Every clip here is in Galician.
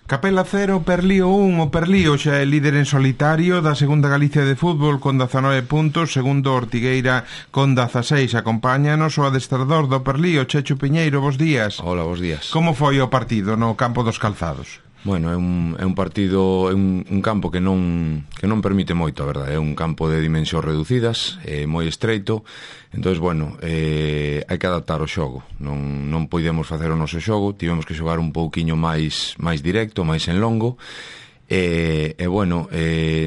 Capela 0, Perlío 1. O Perlío xa é líder en solitario da segunda Galicia de fútbol con 19 puntos, segundo Ortigueira con 16. Acompáñanos o adestrador do Perlío, Checho Piñeiro. Bos días. Hola, bos días. Como foi o partido no campo dos Calzados? Bueno, é un partido, é un campo que non permite moito, a verdade. É un campo de dimensións reducidas, moi estreito. Entonces, bueno, hai que adaptar o xogo. Non podemos facer o noso xogo, tivemos que xogar un pouquiño máis directo, máis en longo. Bueno,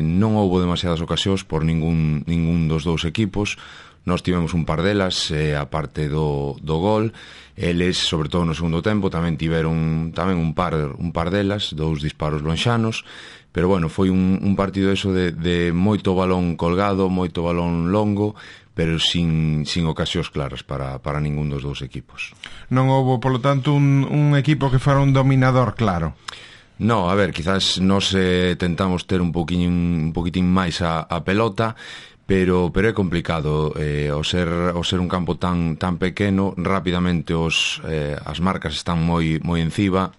non houbo demasiadas ocasións por ningún dos dous equipos. Nós tivemos un par delas, a parte do gol. Eles, sobre todo no segundo tempo, tamén tiveron un par delas, dous disparos lonxanos. Pero bueno, foi un partido eso de moito balón colgado, moito balón longo, pero sin ocasións claras para ningún dos dous equipos. Non houbo, polo tanto, un equipo que fora un dominador claro? No, a ver, quizás nos tentamos ter un poquitín máis a pelota, pero é complicado. Ao ser un campo tan pequeno, rapidamente as marcas están moi encima,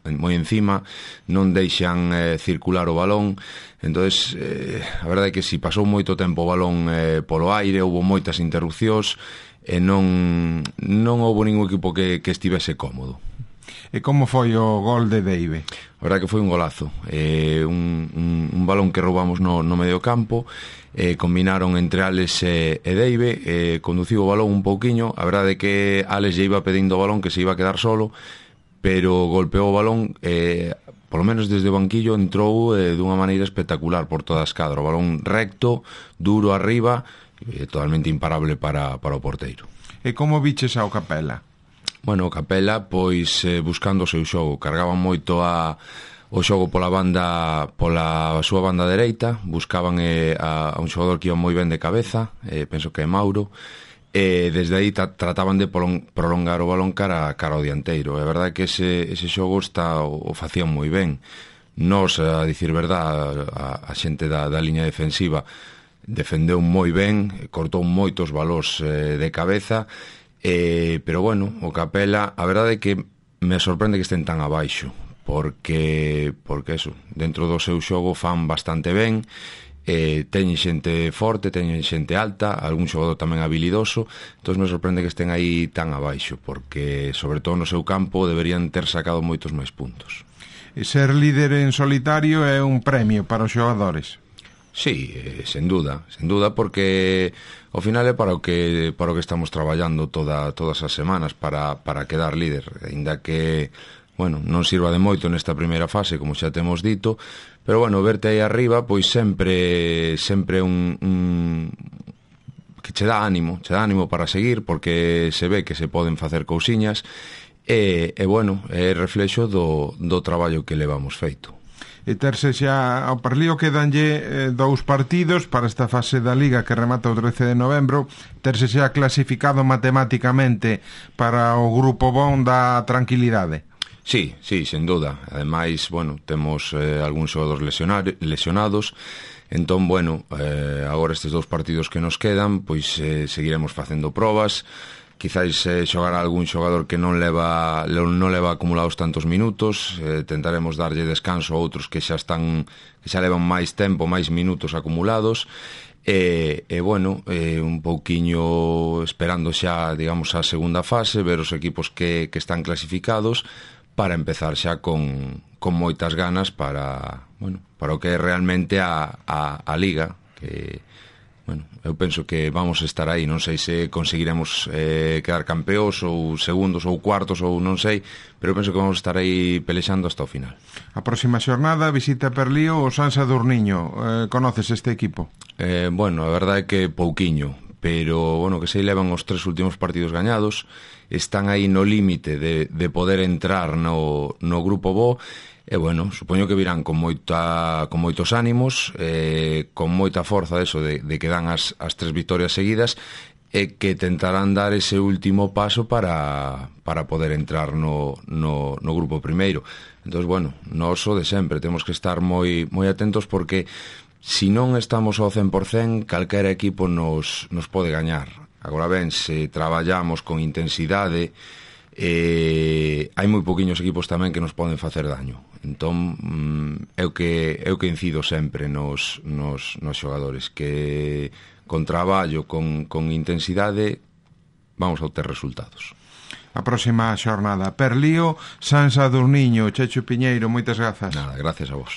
non deixan circular o balón. Entonces, a verdade é que si pasou moito tempo o balón polo aire, houbo moitas interrupcións e non houbo ningún equipo que estivese cómodo. E como foi o gol de Deive? A verdade que foi un golazo, un balón que roubamos no medio campo. Combinaron entre Alex e Deive, conduciu o balón un pouquiño. A verdade é que Alex lle iba pedindo o balón que se iba a quedar solo, pero golpeou o balón, polo menos desde o banquillo entrou dunha maneira espectacular por toda a escadra. O balón recto, duro arriba, totalmente imparable para o porteiro. E como viches ao Capela? Bueno, o Capela, pois, buscando o seu xogo, cargaban moito o xogo pola súa banda dereita, buscaban a un xogador que iba moi ben de cabeza, penso que é Mauro, e desde aí trataban de prolongar o balón cara ao dianteiro. É verdade que ese xogo o facían moi ben. Nos, a dicir verdade, a xente da liña defensiva defendeu moi ben, cortou moitos balóns de cabeza. Pero bueno, o Capela, a verdade é que me sorprende que estén tan abaixo, porque eso, dentro do seu xogo fan bastante ben, teñen xente forte, teñen xente alta, algún xogador tamén habilidoso. Entón me sorprende que estén aí tan abaixo, porque sobre todo no seu campo deberían ter sacado moitos máis puntos. E ser líder en solitario é un premio para os xogadores? Sí, sen duda, porque ao final é para o que estamos traballando todas as semanas, para quedar líder, aínda que, bueno, non sirva de moito nesta primeira fase, como xa temos dito, pero bueno, verte aí arriba, pois sempre que che dá ánimo para seguir, porque se ve que se poden facer cousiñas, e bueno, é reflexo do traballo que levamos feito. E terse xa ao Perlío quedanlle 2 partidos para esta fase da Liga que remata o 13 de novembro. Terse xa clasificado matemáticamente para o grupo bon da tranquilidade. Sí, sen duda. Ademais, bueno, temos algúns xogadores lesionados. Entón, bueno, agora estes 2 partidos que nos quedan, pois seguiremos facendo probas. Quizáis xogar a algún xogador que non leva acumulados tantos minutos, tentaremos darlle descanso a outros que xa levan máis tempo, máis minutos acumulados, e bueno, un pouquiño esperando xa, digamos, a segunda fase, ver os equipos que están clasificados, para empezar xa con moitas ganas para o que é realmente a Liga, que, bueno, eu penso que vamos a estar aí. Non sei se conseguiremos quedar campeóns ou segundos ou cuartos ou non sei, pero penso que vamos a estar aí pelexando hasta o final. A próxima xornada visita Perlío o San Sadurniño. Conoces este equipo? Bueno, a verdade é que pouquiño, pero bueno, que se levan os 3 últimos partidos gañados, están aí no límite de poder entrar no grupo bo. E bueno, supoño que virán con moitos ánimos, con moita forza de que dan as 3 vitorias seguidas, e que tentarán dar ese último paso para poder entrar no grupo primeiro. Entón, bueno, nós o de sempre temos que estar moi atentos, porque se non estamos ao 100%, calquera equipo nos pode gañar. Agora ben, se traballamos con intensidade, hai moi poquinhos equipos tamén que nos poden facer daño. Entón, é o que incido sempre nos xogadores, que con traballo, con intensidade, vamos a obter resultados. A próxima xornada. Perlío, San Sadurniño, Checho Piñeiro, moitas grazas. Nada, gracias a vos.